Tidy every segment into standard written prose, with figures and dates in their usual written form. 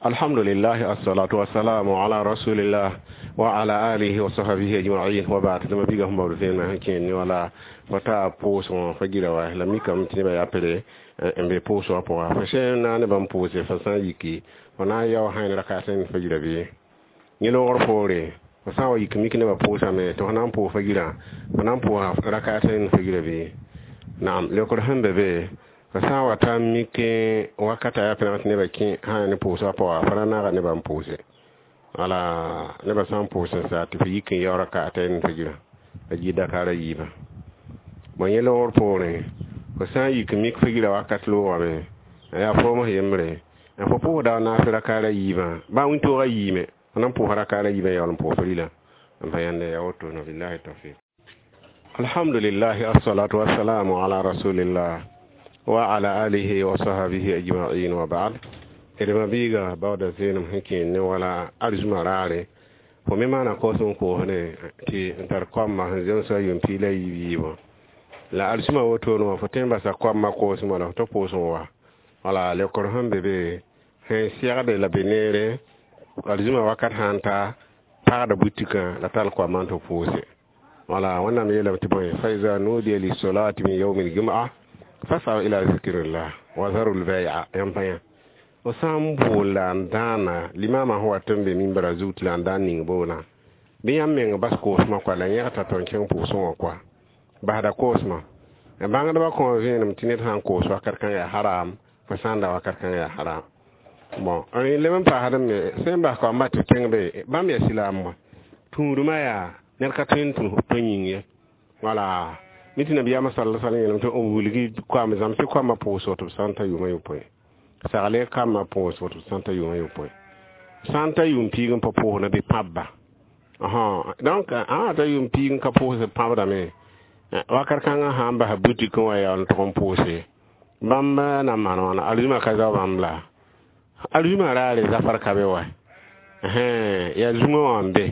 Alhamdulillah, assalatu wassalamu ala rasulillah wa ala alihi wa sahbihi ajma'in wa ba'd. Dama biga hum bawd fena ken ni wala fata pʋʋsgõ fa gira wa la mikame tɩ nebã yaa pere n be pʋʋsgã pʋga fo sẽn na ne bãmb pʋʋse fa sã n yiki fo na n yao sã rakaat n fa gira bɩ yẽ loogr poore fo sã n wa yik mik nebã pʋʋsame tɩ fo na n pʋʋs fa girã fo na n pʋʋsa rakaat n fa gira bɩ naam leokr sẽn be be fo sã n wa ta n mik wakata yaa pẽneg tɩ nebã kẽ sã ne pʋʋsgã pʋga fo ra naaga nebã n pʋʋse wala nebã sã n pʋʋs n sa tɩ fo yik n yao rakaat n fa girã a yɩ dakaara yiibã bõe yẽ loogr poorẽ fo sã n yik mik fa gira wakat loogame yaa foom yembre n fo pʋʋsda wa naas rakaara yiibã baa wĩntoogã yiime fo na n pʋʋsa rakaara yiibã yaool n pʋʋs rɩlã n pa yãnde yaa woto no billahi tawfiq. Alhamdulillah, assalatu wassalamu ala rasulillah wa ala alihi wa sahbihi ajma'in wa ba'd. D mabiiga baooda zeenem sẽn kẽen ne wala arzũma raare fo me maana koos n koosne tɩ n tar koamã sẽn zemsa yʋʋm piig la yiib yiibã la arzũma wotone wã fo tõe n basa koamã koosem wala fo tɩ pʋʋs n wa wala leokr sẽn be be sẽn segde la be neere arzũma wakat sã n ta pagda butikã la tall koamã n tɩ pʋʋse wala wẽnnaam yeelame tɩ bõe fa iza nudiya lisolati min yaumi ljum'a fasaw ila zikrillah wa zaru lbai'a yãmb pa yã fo sã n bool la n dãana limamã sẽn wat n be mimbra zug tɩ la n daan ning boolã bɩ yãmb meng bas koosmã koa la yẽgta tɩ n kẽng pʋʋsẽ wã koa basda koosmã bãngdbã kõ vẽenem tɩ ned sã n koos wakat kãng yaa haram fo sã n da wakat kãng yaa haram bon leb n paasd me sẽn bas koamba tɩ kẽng be bãmb yaa silaam wã tũudmã yaa ned ka tõe n tũ tõe yĩng ye wala mi tɩ nabiyaamã sal sal yeelame tɩ b wilgi koam zãmsɩ koamã pʋʋsg tɩ b sã n ta yʋʋmã yopoe sagle kambã pʋʋsg tɩ b sã n ta yʋʋmã yopoe sã n ta yʋʋm piig n pa pʋʋsna bɩ pãbba donc ã ta yʋʋm piig n ka pʋʋsd pãbdame wakat kãngã sã n basa butik n wa yaool n tʋg n pʋʋse bãmb na n maan wãna arzũmã ka zao bãmb la arzũmã raare zafar ka be wa yaa zũngã wã n be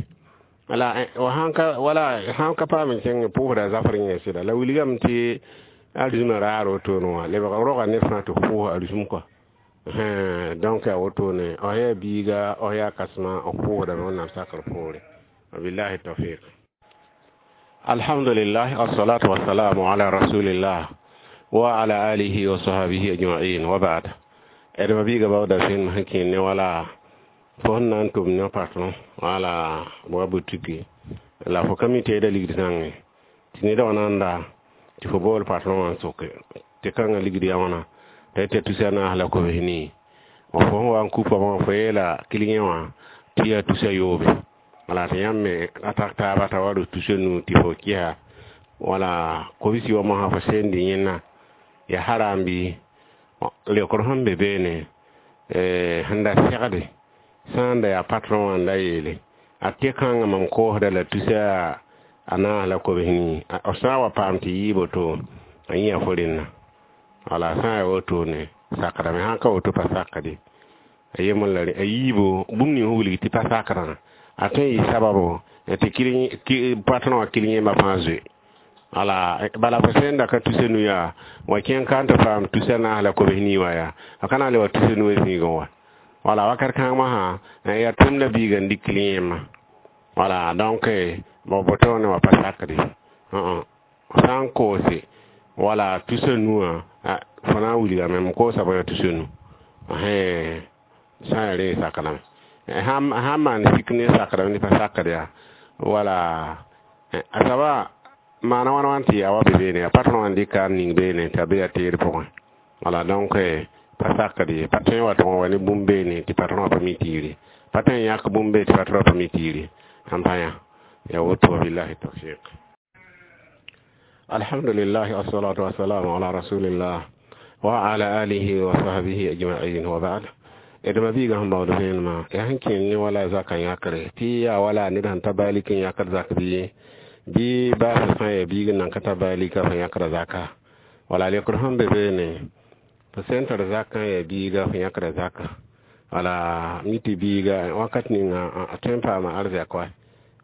wala wala sã n ka paam n kẽng pʋʋsda zafr yẽ sɩda la wilgame tɩ arzũmã raar wotone wã lebg roga ned fãa tɩ pʋʋs arzũm kɔa donc yaa wotone f yaa biiga f yaa kasmã f pʋʋsdame wẽnnaam sakr poore wabillahi tawfiq. Alhamdulillah, assalatu wassalamu ala rasulillah wa ala alihi wa sahbihi ajma'in wa ba'd. D mabiiga baooda sẽn sẽn kẽen ne wala fo sẽn na n tʋm ne patron wala wa butiki la fo ka mi teeda ligd zãnge tɩ neda wã na n da tɩ fo bool patron wã n soke tɩ kãngã ligd yaa wãna t'a yetɩ tusa naas la kobs nii fo sẽn wa n kupa wã fo yeela kiliyẽ wã tɩ yaa tusa yoobe wala tɩ yãmb me a tak taaba t'a wa rʋs tusa nu tɩ fo kɩsa wala kobsi wã mosã fo sẽn dɩ yẽnna yaa haram bɩ leokr sẽn be beene sẽn da segde sã n da yaa patron wã n da yeele a tɩ kãngã mam koosda la tusa a naas la kobs nii f sã n wa paam tɩ yɩɩ boto a yĩa fo rẽnna wala sã n yaa wotone sakdame sã n ka woto pa sakde a yembr la a yiibo bũmb ning sẽn wilg tɩ pa sakdã a tõe n yɩ sababo tɩ patron wã kil yẽmba fãa zoe wala bala fo sẽn da ka tusa nu yaa wa kẽng ka n tɩ paam tusa naas la kobs nii wã yaa a ka na n le wa tusa nu zĩigẽ wa wala wakat kãng masã yaa tʋmda biiga n dɩk yẽmma wala donc bo botone wã pa sakde sã n koose wala tusa nuwã fo na n wilgame m koosa bõe tusa nu sã n yaa rẽ sakdame sã n maan sik ne sakdame tɩ pa sakd yaa wala a soaba maana wãn wãn tɩ yaa wa be beene yaa patron wã n dɩka n ning beene t'a be yaa teer pʋgẽ wala donc pa sakd ye pa tõe n wa tʋg n wa ne bũmb beene tɩ patron wã pa mi tiiri pa tõe n yãk bũmb be tɩ patron wã pa mi tiiri sãn pa yã yaa woto wabillahi tawfiq. Alhamdulillah, assalatu wassalamu ala rasulillah wa ala alihi wa sahbihi ajma'in wa ba'd. D mabiiga sẽn baood vẽenemã yaa sẽn kẽen ne wala zakã yãkre tɩ yaa wala ned sẽn ta balik n yãkd zak bɩ bɩ baasã sã n yaa biig n nan ka ta balika fo yãkda zaka wala leokr sẽn be beene fo sẽn tar zakã yaa biiga fo yãkda zaka wala mi tɩ biiga wakat ninga a tõe n paama arzɛk wa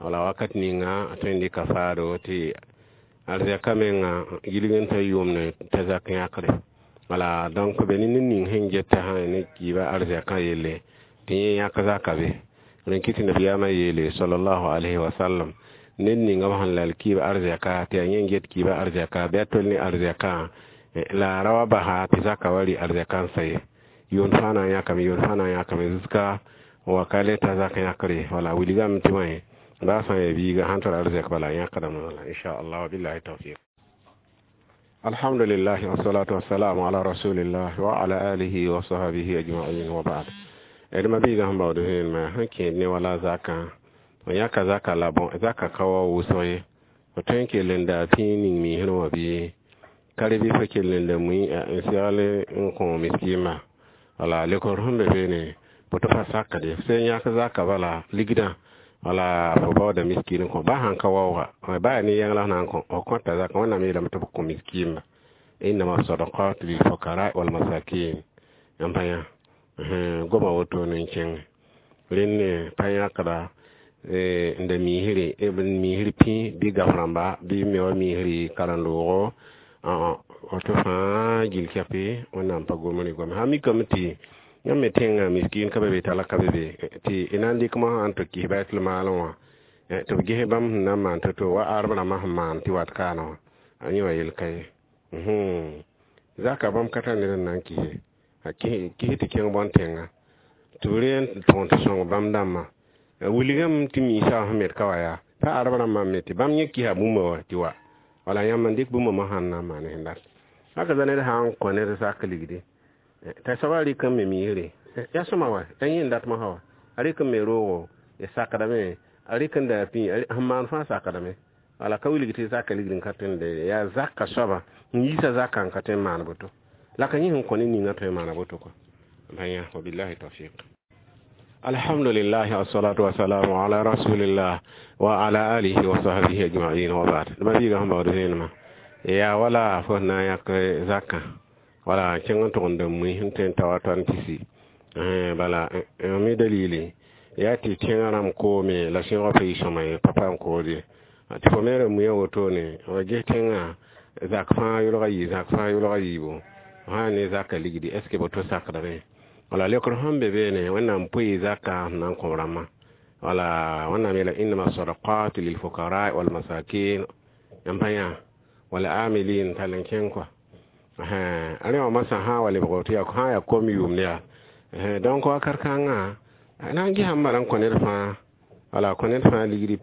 wala wakat ninga a tõe n dɩka faado tɩ arzɛka menga gilg n ta yʋʋmne t'a zak yãkre wala donc be ne ned ning sẽn geta sã ne kiiba arzɛkã yelle Tɩ yẽ yãk zaka be. Rẽn kɩ tɩ nabiyaamã yeele sallallahu alaihi wa sallam, ned ninga b sẽn lal kiib arzɛka, tɩ yaa yẽ n get kiibã arzɛka bɩ a tol ne arzɛkã, la a ra wa basa tɩ zaka wa rɩ arzɛka n sa ye. Yʋʋnd fãa na n yãkame, yʋʋnd fãa na n yãkame jusqu'à wa ka le ta zak yãkre. Wala wilgame tɩ wã baa sã n yaa biiga sãn tar arzɛk bala a yãkdame. Wala inchallah, wa billahi tawfiq. Alhamdulillah, wassalatu wassalamu ala rasulillah wa ala alihi wa sahbihi ajma'in, wa ba'd. D ma biiga sẽn baood vẽenemã sẽn kẽed ne wala zakã, f yãka zaka la bõ zaka ka wa wʋsg ye. Fo tõe n kell n daa pĩig ning miisrẽ wã bɩ ka re bɩ fo kell n da mui n segl n kõ miskiimã. Wala lekor sẽn be beene boto pa sakde f sẽn yãk zaka bala ligdã, wala fo baooda miskin n kõ ba sãn ka waooga, ba yaa ne yãng la f na n kõ, f kõta zaka. Wẽnnaam yeelame tɩ b kõ miskiimba, innama sadakat lilfukara walmasakin. N pa yã goma wotone n kẽng rẽnd pa yãkda n da miisre, miisr pĩ bɩ gaf rãmba bɩ me wa miisr karen-doogo woto fãa gil kɛpɩ. Wẽnnaam pa gomre goame sã mikame tɩ yãmb me tẽngã miskin ka be be, talka be be, tɩ y na n dɩk mosã n tɩ kis baitul maalẽ wã tɩ b ges bãmb sẽn na n maan to-to wa arb rãmbã sẽn maan tɩ wat kaana wã, a yẽ wa yel ka ye. Zaka bãmb ka tar ned n na n kise, kis tɩ kẽng bõn-tẽnga tɩ b reen tõog tɩ sõng bãmb dãmbã. Wilgame tɩ miisã sẽn met ka wa yaa pa arb rãmbã me tɩ bãmb yẽ kisa bũmba wa tɩ wa wala yãmb n dɩk bũmba mosã n na n maan sẽn dat. Haka za ned sã n kõ ned zak ligdi, t'a soabã rɩk n me miisre yaa sõma wa, yaa yẽ n dat mosã wa, a rɩk n me roogo sakdame, a rɩk n daa pĩ sẽn maan fãa sakdame. Wala ka wilg tɩ zaka ligd n ka tõe n de yaa zaka soaba n yiisa zakã n ka tõe n maan boto la ka yẽ sẽn kõ ne ninga tõe n maana boto kɔ pa yã. Wabillahi tawfiq. Alhamdulillah, wassalatu wassalamu ala rasulillah wa ala alihi wa sahbihi ajma'in, wa ba'd. Ma biiga sẽn baood vẽenemã yaa wala fo na n yãk zakã, wala kẽng n tʋg n da mui sẽn tõe n ta wa tõnd tɩsi. Bala mi dalili yaa tɩ tẽngã rãmb koome la sẽogã pa yɩ sõma ye, pa paam kood ye, tɩ fo me ra muiã wotone wa ges tẽngã zak fãa yʋlga yɩ, zak fãa yʋlga yiibu sã ne zaka ligdi, est ce que boto sakdame? Wala lekr sẽn be beene, Wẽnnaam pʋɩ zaka sẽn na n kõ rãmbã. Wala Wẽnnaam yeela innama sadaqat lilfukara walmasakin n pa yã wala amilin tall n kẽng kɔa rẽ wã masã sã wa lebg tɩ sã yaa kom yʋʋmd yaa. Donc wakat kãngã na n gesã n bala n kõ ned fãa, wala kõ ned fãa ligdi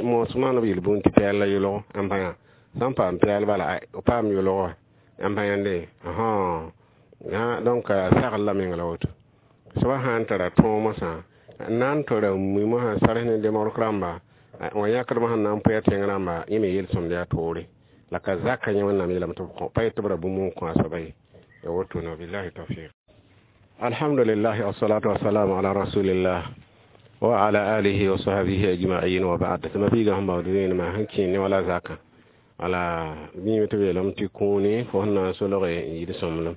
moos maan b yel-bũnd tɩ pɛɛl la yʋlg n pa yã sãn paam pɛɛl bala paam yʋlg wa n pa yãnde. Donc sagl la meng la woto soaba sã n tara tõog mosã n na n tora mui mosã sars ne demogrk rãmba wã yãkdmã sẽn na n pʋa tẽng rãmba, yẽ me yel-sõmd yaa toore la ka zaka yẽ. Wẽnnaam yeelame tɩ b kõ pa yet tɩ b ra bũmb n kõ a soaba ye, ya wotone. Wabillahi tawfiq. Alhamdulillah, wassalatu wassalamu ala rasulillah wa ala alihi wa sahbihi ajma'in, wa ba'd. Tɩ ma biiga sẽn baood vẽenemã sẽn kẽed ne wala zaka, wala bĩime tɩ b yeelame tɩ kũuni fo sẽn na n solge n yid sõmblem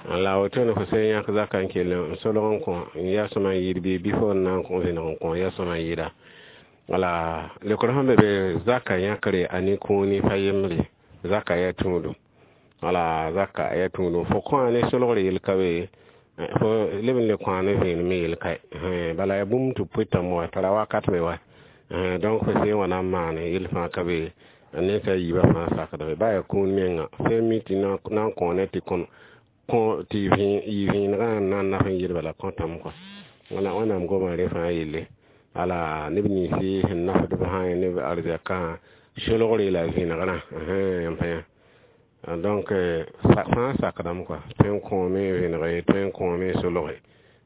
la wotone fo sẽn yãk zaka n kell n solg n kõ n yaa sõma n yɩɩd bɩ fo n na n kõ vẽneg n kõ yaa sõma n yɩɩda. Wala lekr sẽn be be, zaka yãkre a ne kũuni pa yembre, zaka yaa tũudum, wala zaka yaa tũudum. Fo kõ ne solgre yel ka be, fo leb n le kõ ne vẽenem me yel ka, bala yaa bũmb tɩ pʋɩtame wa tara wakat me wa. Donc fo sẽn wa na n maane yel fãa ka be, nensã yiibã fãa sakdame ba yaa kũun menga sẽn mi tɩ na n kõ ne tɩ kõ tɩ yɩ vẽenegã n na n naf n yɩl bala kõtame kɔa. Wala Wẽnnaam goma rẽ fãa yelle, ala neb ninsi sẽn nafdb sã neb arzɛkã solgre la vẽnegrã n pa yã. Donc fãa sakdame kɔa, tõe n kõome vẽnege, tõe n kõome solge,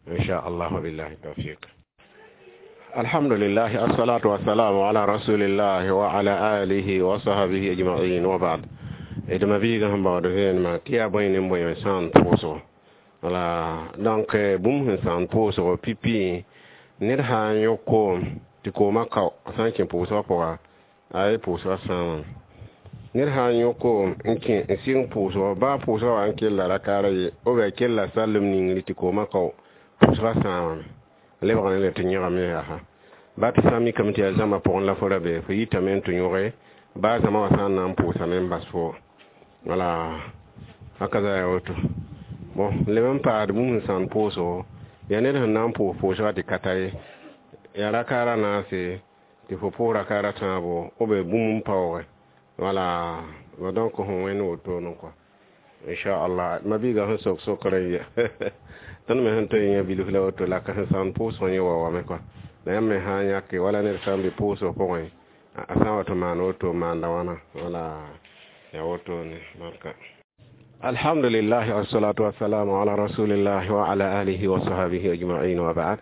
inchallah. Wabillahi tawfiq. Alhamdulillah, assalatu wassalamu ala rasulillah wa ala alihi wa sahbihi ajma'in, wa ba'd. D ma biiga sẽn baood vẽenemã tɩ yaa bõe ne bõe sãn pʋʋsgo. Wala donc bũmb sẽn sãn pʋʋsgo pipi, ned sã n yõk koom tɩ koomã kao, sã n kẽ pʋʋsgã pʋga, a ye pʋʋsgã sãamame. Ned sã n yõk koom n kẽ n sɩng pʋʋsgɔ, baa pʋʋsgã wa n kella rakaara ye, ou bien kella sallem ningri tɩ koomã kao, pʋʋsgã sãamame, lebg ne le tɩ yẽgame yaa ba tɩ sã n mikame tɩ yaa zãmbã pʋgẽ la fo ra be, fo yitame n tɩ yõge baa zãma wã sã n na n pʋʋsame n bas fo. Wala haka za yaa woto. Bon, leb n paad bũmb sẽn sãn pʋʋsgo Yaa ned sẽn na n pʋʋs pʋʋsgã tɩ ka ta ye, yaa rakaara naase tɩ fo pʋʋs rakaara tãabo b bũmb n paooge. Wala donc fõ wẽnd wotone kɔa, inchallah. Ma-biigã sẽn sok sokrã yɛ, tõnd me sẽn tõe n yã bilf la woto la ka sẽn sãamd pʋʋsg yẽ wa wame kɔa. La yãmb me sã n yãke wala ned sã n be pʋʋsg pʋgẽ, a sã n wa tɩ maan woto, maanda wãna. Wala yaa wotone barka. Alhamdulillah, wassalatu wassalamu ala rasulillah wa ala alihi wa sahbihi ajma'in, wa ba'd.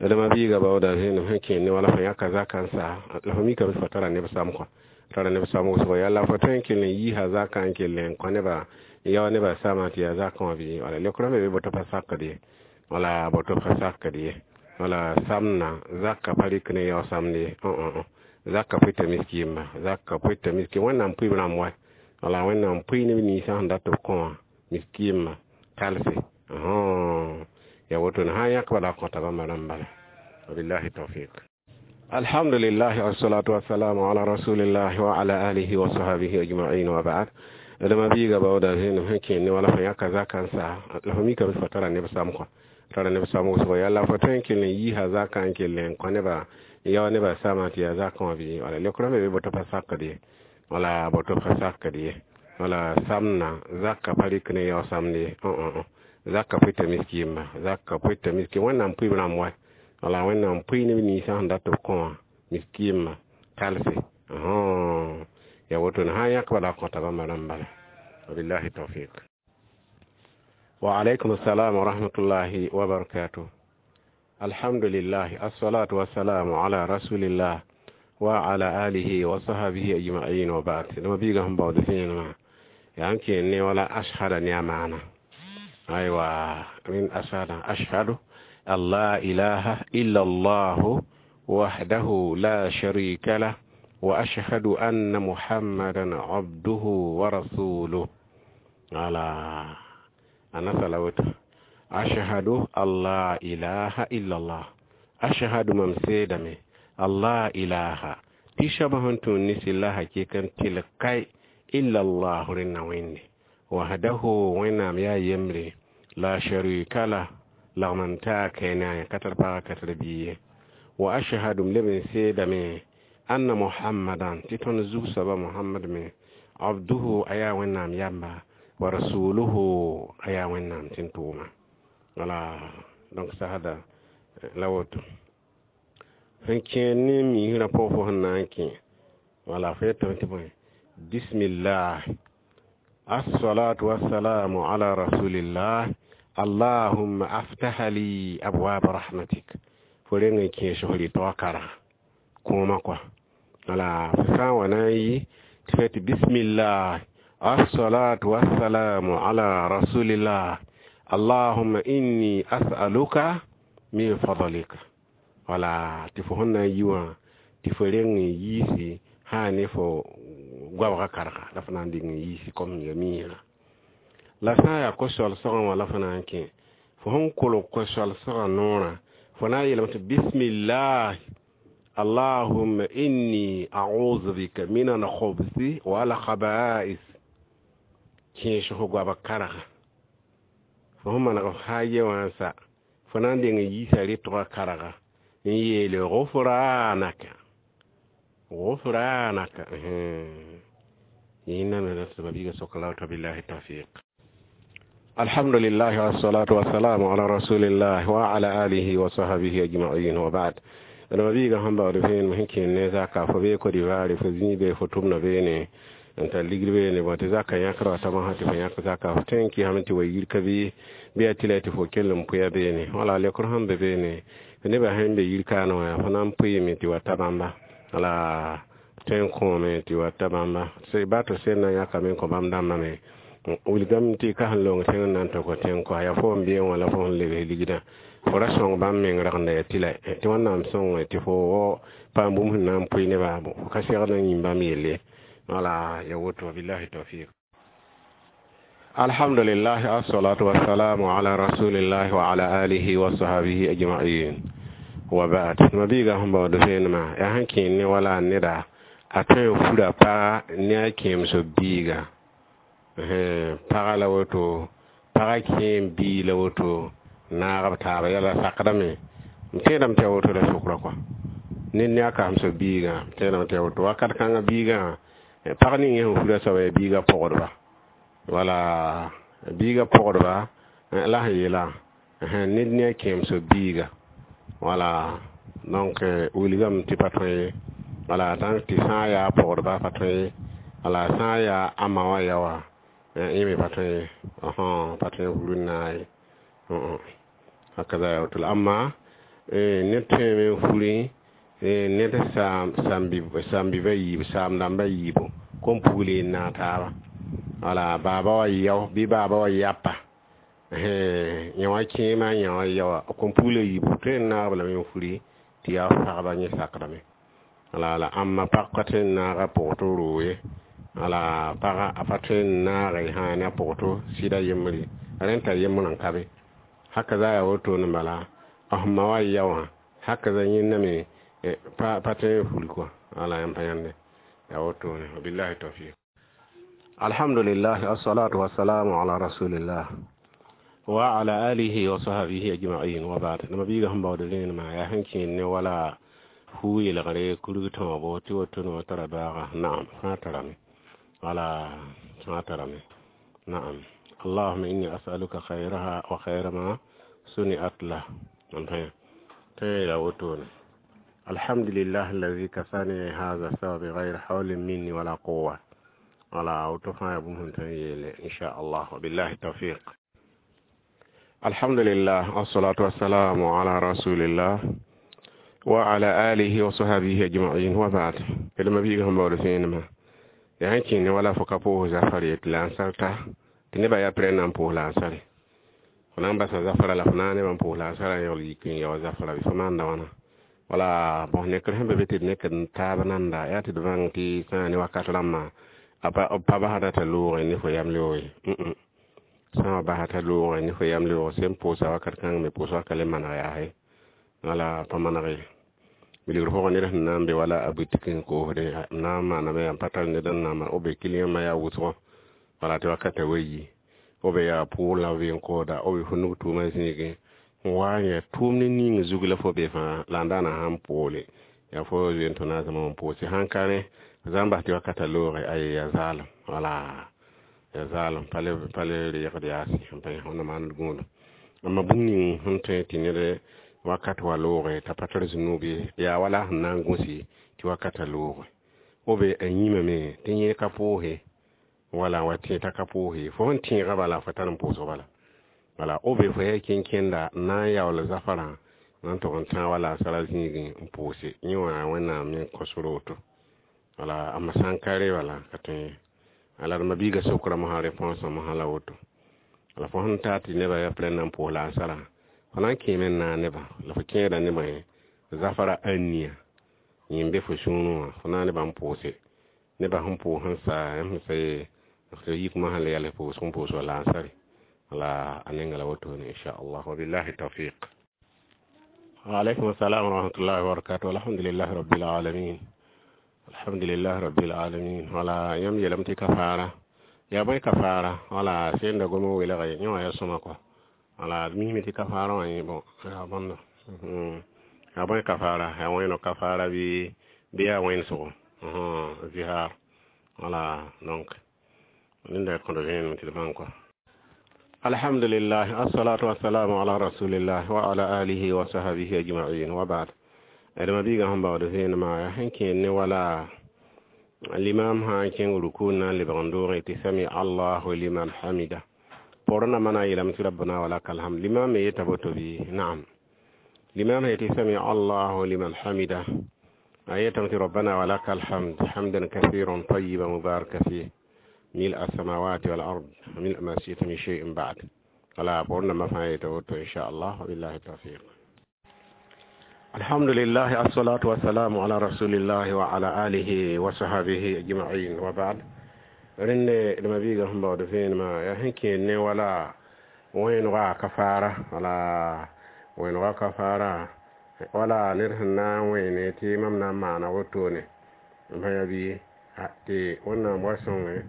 D ma-biiga baooda zẽnem sẽn kẽen ne wala fo yãka zakã n sa, la fo mikame fo tara neb sam kɔa, tara neb sam wʋsgo yalla fo tõe n kell n yiisa zakã n kell n kõ nebã, yao nebã samã tɩ yaa zakã wã bɩ wala leokrã me be boto pa sakd ye, wala boto pa sakd ye. Wala samna zakã pa rɩk ne yao samd ye. Zakã pʋɩta miskɩɩmba, zakã pʋɩta miskɩ Wẽnnaam pʋɩb rãmb wa. Wala Wẽnnaam pʋɩ neb ninsã sẽn dat b kõ wã miskɩɩmã talse ya woto sã n yãk bala kõta bãmba rãmb bala. Wabillahi tawfiq. Alhamdulillah, wassalatu wassalamu ala rasulillah wa ala alihi wa sahbihi ajma'in, wa ba'd. D ma-biiga baooda zẽnem sẽn kẽen ne wala fo yãka zakã n sa, la fo mikame fo tara neb sam kɔa, tara neb sam wʋsgo yalla fo tõe n kell n yiisa zakã n kell n kõ nebã, yao nebã samã tɩ yaa zakã wã bɩ wala leokrã me be boto pa sakd ye, wala boto pa sakd ye. Wala samna zakã pa rɩk ne yao samd ye. Zakã pʋɩta miskɩɩmba, zakã pʋɩta miskɩ Wẽnnaam pʋɩb rãmb wa. Wala Wẽnnaam pʋɩ neb ninsã sẽn dat b kõ wã miskɩɩmã talse ya woto sã n yãk bala kõta bãmba rãmb bala. Wabillahi tawfiq. Wa alaykum assalam wa rahmatullahi wa barakatuh. Alhamdulillah, assalatu wassalamu ala rasulillah wa ala alihi wa sahbihi ajma'in, wa ba'd. D ma-biigã sẽn baood vẽenemã yaa n kẽen ne wala ashhada ne a maana. Aywa, min ashhada, ashhadu an la ilaha illa allah wahdahu la sharika lah wa ashhadu anna muhammadan abduhu wa rasuluh. Ala ana salawatu ashhadu an la ilaha illa allah, ashhadu mam seedame, allah ilaha tɩ soab sẽn tũud ne sɩlla hakikan tɩl kai, illa allah rẽnna wẽnde, wahdahu Wẽnnaam yaa yembre, la sharika lah lagm n taa kɛɛne a ka tar pagã, ka tar bia ye, wa ashhadu m leb n seedame, anna muhammadan tɩ tõnd zug-soaba Mohamad me, abduhu a yaa Wẽnnaam yamba, wa rasuluhu a yaa Wẽnnaam tɩ n tʋʋma. Wala donc sasda la woto sẽn kẽer ne miisrã pʋgã fo sẽn na n kẽ. Wala fo yetame tɩ bõe, bismillah, assalatu wassalamu ala rasulillah, allahumma aftaha li abwab rahmatik. Fo reng n kẽes f rɩtga karga kõoma kɔa. Wala fo sã n wa na n yi tɩ fa tɩ bismillah, assalatu wassalamu ala rasulillah, allahumma inni as'aluka min fadlika. Wala tɩ fo sẽn na n yi wã tɩ fo reng n yiisi sã ne fo goabga karga la fo na n dɩng n yiisi kom ya miisrã. La sã n yaa ko-soalsgã wã la fo na n kẽ, fo sẽn kolg ko-soalsgã noorã, fo na n yeelame tɩ bismillah, allahumma inni a'udhu bika min al-khubthi wal khaba'is. Kẽes fo goabg karga fo sẽn maneg f sã ye wã n sa, fo na n deng n yiisa rɩtgã karga n yeele gufranaka, gufranaka. Yẽnda me la tɩ ma-biigã sok la woto. Billahi tawfiq. Alhamdulillah, wassalatu wassalamu ala rasulillah wa ala alihi wa sahbihi ajma'in, wa ba'd. D ma-biigã sẽn baood vẽenem sẽn kẽen ne zaka, fo bee Côte d'Ivoire, fo zĩig be, fo tʋmda beene n tar ligd beene bõ tɩ zaka yãkra wa tama sã tɩ fo yãk zaka, fo tõe n kɩsame tɩ wa yir ka bɩ bɩ yaa tɩ la tɩ fo kell n pʋya beene. Wala lekr sẽn be beene, nebã sẽn be yir kaane wã, fo na n pʋɩɩme tɩ wa ta bãmba. Wala tõe n kõome tɩ wa ta bãmba ba tɩ sẽn na n yãkame n kõ bãmb dãmbã me wilgame tɩ ka sẽn long tẽng n na n tʋk tẽng kɔ yaa fo n bee wã la fo sẽn lebs ligdã, fo ra sõng bãmb meng ragenda yaa tɩ la tɩ Wẽnnaam sõng tɩ fo paam bũmb sẽn na n pʋɩ nebã, fo ka segd n yĩm bãmb yelle. Wala ya woto. Billahi tawfiq. Alhamdulillah, assalatu wassalamu ala rasulillah wa ala alihi wa sahbihi ajma'in, wa ba'd. Ma-biigã sẽn baood vẽenemã yaa sẽn kẽen ne wala neda a tõe n fura paga ne a kẽemso biiga, paga la woto, paga kẽem bii la woto. Naag b taaba yɛla sakdame. M tẽedame tɩ yaa woto la sʋkrã kɔa. Ned ne a kasemsã biigã, m tẽedame tɩ yaa woto. Wakat kãngã biigã, pag ning yẽ sẽn fura soaba yaa biigã pɔgdba. Wala biigã pɔgdba la sẽn yeelã, ned ne a kẽemsã biiga. Wala donc wilgame tɩ pa tõe ye. Wala tãng tɩ sã n yaa pɔgdba pa tõe ye. Wala sã n yaa a ma wã ya wã, yẽ me pa tõe ye. Pa tõe n fur n naag ye. Hakaza yaa woto la. Amma ned tõeme n furi ned saam-biba yiibu, saam-dãmba yiibu, kom pugl n naag taaba. Wala baaba wa yao bɩ baaba wa yapa, yã wã kẽema, yã wã yaoa, kom pugl yiibu tõe n naag b lame n furi tɩ yaa fagba yẽ sakdame. Wala la ãmba pag ka tõe n naag a pʋgto roog ye. Wala paga a pa tõe n naage sã ne a pʋgto sɩda yembre, rẽn t'a yembrã n ka be. Haka za yaa wotone bala, f ma wa ya wã, haka za yẽnda me pa tõe n furi kɔa. Wala yãmb pa yãnde yaa wotone. Wabillahi tawfiq. Alhamdulillah, assalatu wassalamu ala rasulillah wa ala alihi wa sahbihi ajma'in wa ba'd. Nama biiga sẽn baood rẽenema yaa sẽn kẽed ne wala fuu yelgre kurg tõogo tɩ wotone wa tara baaga. Naam, fãa tarame. Wala fãa tarame. Naam. Allahumma inni as'aluka khayraha wa khayra ma suni'at lah. Tõe la wotone. Alhamdulillah alladhi kasani hadha thawb bighayri hawlin minni wala quwwa. Wala woto fãa yaa bũmb sẽn tõe n yeele inchallah. Wabillahi tawfiq. Alhamdulillah, wassalatu wassalamu ala rasulillah wa ala alihi wa sahbihi ajma'in wa ba'd. Kelma biiga sẽn baood vẽenemã yaa sẽn kẽe ne wala fo ka pʋʋs zafar ye tɩ la n sarta tɩ nebã yaa pɩrɛ na n pʋʋs la n sare. Fo na n basa zafara la fo na n nebã n pʋʋs la n sara n yagl yik n yao zafara bɩ fo maanda wãna. Wala bõs nekr sẽn be be tɩ d nekd n taab nanda yaa tɩ d bãng tɩ sã n ne wakat rãmbã a pa basda t'a loogẽ ne fo yam leoog ye. Sã n wa basa t'a loogẽ ne fo yam leoog, sẽn pʋʋsa wakat kãng me pʋʋs waka le maneg yaa ye. Wala pa maneg ye. Wilgr pʋgẽ ned sẽn na n be wala a boutique n koosde n na n maaname yaa n pa tar ned n na n maan, b be client yaa wʋsgo, wala tɩ wakata wa yi, b yaa pʋʋl la b n kooda, b fo nug tʋʋma zĩigẽ n wa n yaa tʋʋmd ning zug la fo be fãa la n daana sãn poole yaa fo zoe n tõna a zãma n pʋʋse sãn ka rẽ zã n bas tɩ wakata looge aye yaa zaalem. Wala yaa zaalem pa le reegd yaase n pa yã wẽnna maand gũudum. Amma bũmb ning sẽn tõe tɩ ned wakat wa looge t'a pa tar zũnub ye, yaa wala sẽn na n gũsi tɩ wakata looge. B a yĩmame tɩ yẽ ka pʋʋse, wala wa tẽ t'a ka pʋʋse, fo sẽn tẽegã bala fo tar n pʋʋsg bala. Wala b fo yaa kẽn-kẽnda n na n yaool zafarã n tʋg n tãag wala a sara zĩigẽ n pʋʋse yẽ wã Wẽnnaam me kõsr woto. Wala amma sã n ka re bala ka tõe ye. Ala d ma-biigã sokra mosã réponse mosã la woto. La fo sẽn taa tɩ nebã yaa pɩrɛ n na n pʋʋs la n sara, fo na n kẽeme n naag nebã la fo kẽeda nebã ye zafara ania yẽ n be fo sũurẽ wã, fo naag nebã n pʋʋse. Nebã sẽn pʋʋs sẽn sa yãmb sẽn sa ye f yik mosã la yɛls pʋʋsg n pʋʋs wa la n sare. Wala a nenga la wotone inchallah. Wabillahi tawfiq. Wa alaykum assalam wa rahmatullahi wa barakatuh. Alhamdulillah rabbil alamin. Alhamdulillah rabbil alamin. Wala yãmb yeelame tɩ kafaara yaa bõe kafaara? Wala senda gom n welge yẽ wã yaa sõma kɔa. Wala d misme tɩ kafaarã wã yẽ bõ yaa bõndo yaa bõe kafaara, yaa wẽno kafaara bɩ yaa wẽnsgo zihar. Wala donc nenda kõd vẽenem tɩ d bãng kɔa. Alhamdulillah, assalatu wassalamu ala rasulillah wa ala alihi wa sahbihi ajma'in wa ba'd. D ma-biigã sẽn baood vẽenemã yaa sẽn kẽed ne wala limam sã n kẽng ruku n na n lebg n doogẽ tɩ sami allahu liman hamida, pʋgr nambã na n yeelame tɩ rabbana wa laka alhamd. Limam me yeta boto bɩ? Naam. Limam yetɩ sami allahu liman hamida, a yetame tɩ rabbana wa laka alhamd hamdan kathiran tayiban mubaraka fih ملء السماوات والأرض وملء ما شئت من شيء بعد. ولا قلنا ما فايته إن شاء الله. وبالله التوفيق. الحمد لله، الصلاة والسلام على رسول الله وعلى آله وصحبه أجمعين وبعد. Rẽnd d ma-biigã sẽn baood vẽenemã yaa sẽn kẽed ne wala wẽenega kafaara. Wala wẽenega kafaara, wala ned sẽn na n wẽene tɩ mam na n maana wotone n pa yaa bɩ tɩ Wẽnnaam wa sõnge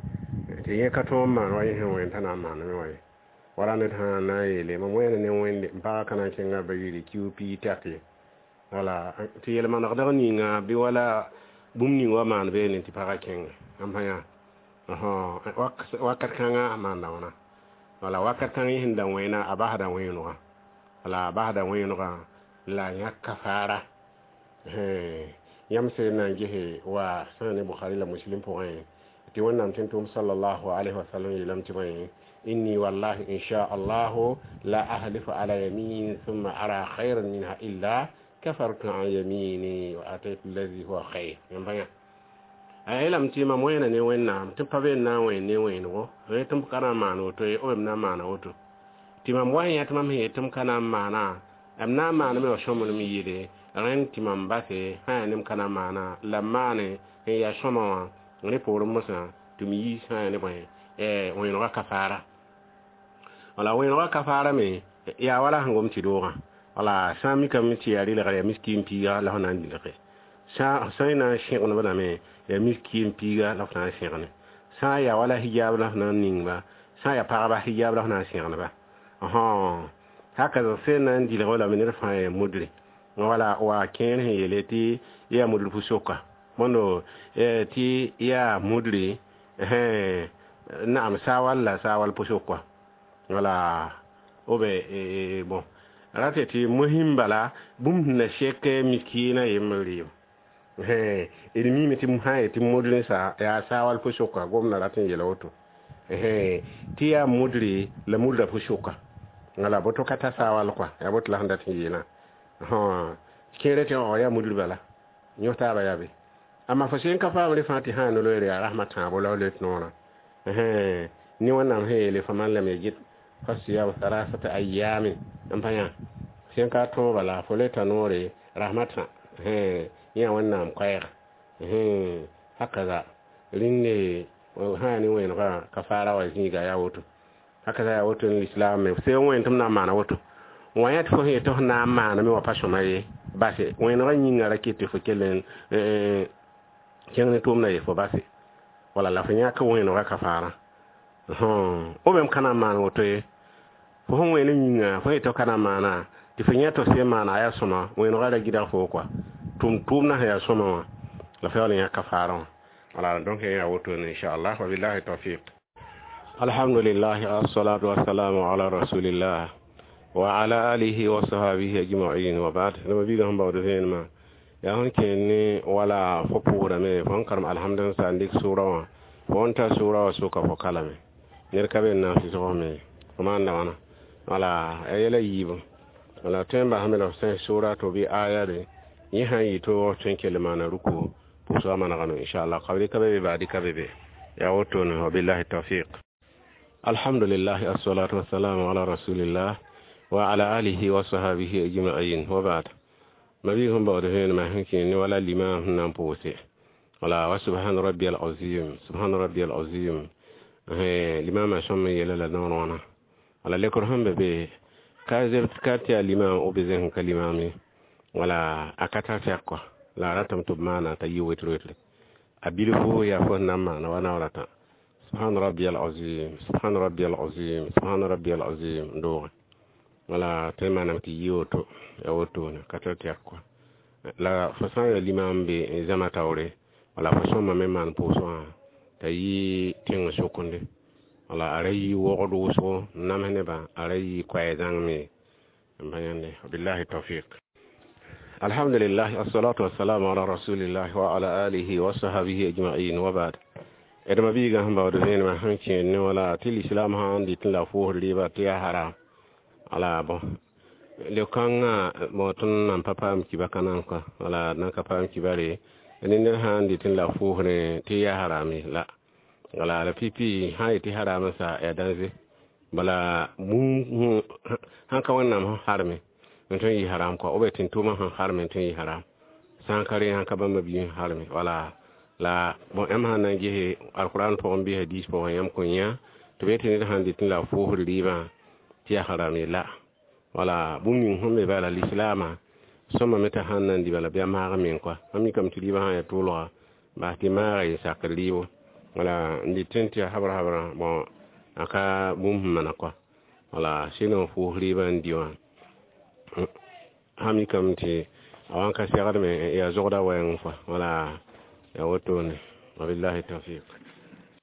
tɩ yẽ ka tõog n maan wa yẽ sẽn wẽen t'a na n maaname wã ye. Wala ned sã n na n yeele mam wẽena ne Wẽnde n paaga ka na n kẽnga ba yɩɩre kiu pii tɛk ye. Wala tɩ yel-manegdg ninga bɩ wala bũmb ning wa maan beene tɩ pagã kẽnga n pa yã wakat kãngã a maanda wãna. Wala wakat kãng yẽ sẽn da wẽna a basda wẽenegã, wala a basda wẽenegã la a yãk kafaara. Yãmb sẽn na n gese wa sã ne Bukhari la Muslim pʋgẽ tɩ Wẽnnaam tẽn-tʋʋm sallallahu alayhi wa sallam yeelame tɩ bõe inni wallahi insha allahu la ahlifu ala yamin thumma ara khayran minha illa kafartu an yamini wa ataitu alladhi huwa khayr. Yãmb pa yã a yeelame tɩ mam wẽena ne Wẽnnaam tɩ pa be n na n wẽen ne wẽenego tɩ m ka na n maan woto ye b na n maana woto tɩ mam wa n yã tɩ mam sẽn yet tɩ m ka na n maana m na n maaname wa sõmblem yɩɩde rẽnd tɩ mam base sã yaa ne m ka na n maana la m maane sẽn yaa sõma wã rẽ poorẽ mosã tɩ m yiis sã yaa ne bõe wẽenegã kafaara. Wala wẽenegã kafaara me yaa wala sẽn gom tɩ doogã. Wala sã n mikame tɩ yaa rɩlgr yaa miskiin piiga la f na n dilge, sã n na n sẽgenb lame yaa miskiin piiga la f na n sẽgene, sã n yaa wala hijab la f na n ningba, sã n yaa pagba hijab la f na n sẽgenba. Haka sẽn na n dilg lame ned fãa yaa mudre. Wala wa kẽer sẽn yeele tɩ yaa mudr pu-soka bõndo tɩ yaa mudre naam saawal la saawal pʋ-sokwa. Wala b bon rate tɩ mosĩm bala bũmb sẽn na sek miskiinã yembr rɩɩb d miime tɩ sã n yet tɩ mudr sa yaa saawal pʋ-soka gomdã rat n yeela woto tɩ yaa mudre la mudra pʋ-soka. Wala boto ka ta saawal kɔa yaa boto la sẽn dat n yeelã kẽere tɩ yaa mudr bala yõ taaba yaa be. Amma fo sẽn ka paam rẽ fãa tɩ sã n no-loeere yaa rasmã tãabo la f let noorã ne Wẽnnaam sẽn yeele faman lam yajid fasiyam thalathata ayamin n pa yã sẽn ka tõo bala fo leta noore rasmã tã yã Wẽnnaam koɛɛg hakaza rĩnde sã yaa ne wẽenegã kafaara wa zĩiga yaa woto hakaza yaa woto ne lislaam me sẽn wẽen tɩ m na n maana woto wã yã tɩ fo sẽn yet tɩ f na n maaname wã pa sõma ye base wẽenegã yĩngã ra ket tɩ fo kell n kẽng ne tʋʋmdã ye fo base wala la fo yãk wẽenegã kafaarã b m ka na n maan woto ye fo sẽn wẽen yĩnga fo yet tɩ f ka na n maana tɩ fo yã tɩ f sẽn maana a yaa sõma wẽenegã ra gɩdg fo kɔa tʋm tʋʋmdã sẽn yaa sõma wã la fo yaool n yãk kafaarã wã. Wala donc yaa woto ne inchallah wa billahi tawfiq. Alhamdulillah assalatu wassalamu ala rasulillah wa ala alihi wa sahbihi ajma'in wa ba'd. Naba biiga sẽn baood vẽenemã yaa sẽn kẽer ne wala fo pʋʋrame fo n karem alhamd n sa n dɩk sʋʋra wã fo n ta sʋʋra wã soka fo kalame ned ka be n na n sɩsg me fo maanda wãna. Wala a yɛla yiibu wala tõe n basame la f sẽn sʋʋra tɩ bɩ aya re yẽ sã n yɩ toog tõe n kell maana ruku pʋʋsgã manegame inchallah kabri ka be be baadi ka be be yaa wotone wa billahi tawfiq. Alhamdulillah assalatu wassalamu ala rasulillah wa ala alihi wa sahbihi ajma'in wa ba'd. Mabi sẽn baood vẽenemã sẽn kẽ ne wala limam sẽn na n pʋʋse wala wa subhana rabbiyal azim subhana rabbiyal azim limamã sõm n yeela la noor wãna. Wala lekr sẽn be be ka ka tɩ yaa limam b zẽsẽ ka limam ye wala a ka tar tɛk kɔa la a ratame tɩ b maana t'a yɩ wetr wetre a bilfu yaa fo sẽn na n maana wa naoor tã subhana rabbiyal azim subhana rabbiyal azim subhana rabbiyal azim n doogẽ wala tõe n maaname tɩ yɩ woto yaa wotone ka tar tɛk kɔa la fo sã n yaa limam be n zãma taoore wala fo sõmame maan pʋʋsg wã t'a yɩ tẽng sokende wala a ra yɩ wogd wʋsgo n nams nebã a ra yɩ koɛɛ zãng me n pa yãnde billahi tawfiq. Alhamdulillah assalatu wassalamu ala rasulillah wa ala alihi wa sahbihi ajma'in wa ba'd. D ma biigã sẽn baood vẽenemã sẽn kẽer ne wala tɩ lislaam sã n dɩt n la fʋʋsd rɩɩba tɩ yaa haram. Wala bõ le-kãngã bõ tõnd nan pa paam kiba ka nan kɔa wala nan ka paam kibare ne ned sã n dɩt n la fʋʋsrẽ tɩ yaa harame la wala la pipi sã n yetɩ haram sa yaa dãnze bala bũmb sãn ka Wẽnnaam sẽn harme n tõe n yɩ haram kɔa b tɩ tʋʋmã sẽn harme n tõe n yɩ haram sã n ka rẽ sãn ka bãmba biig sẽn harme wala la bõn yãmb sãn na n gese alquran pʋgẽ bɩ hadis pʋgẽ yãmb kõn yã tɩ b yetɩ ned sãn dɩt n la fʋʋsd rɩɩbã tɩ yaa haram ye la wala bũmb ning sẽn be bala lislaamã sõmame t'a sãn na n dɩ bala bɩ a maag meng kɔa mam mikame tɩ rɩɩbã sã n yaa tʋʋlga bas tɩ maaga yɩ sakr rɩɩbo wala n dɩt tɩ yaa habra habra bõn a ka bũmb sẽn mana kɔa Wala sɩd n pʋʋs rɩɩbã n dɩ wã sã mikame tɩ a wa n ka segdme yaa zogda wɛɛng fo. Wala yaa wotone. Wabillahi tawfiq.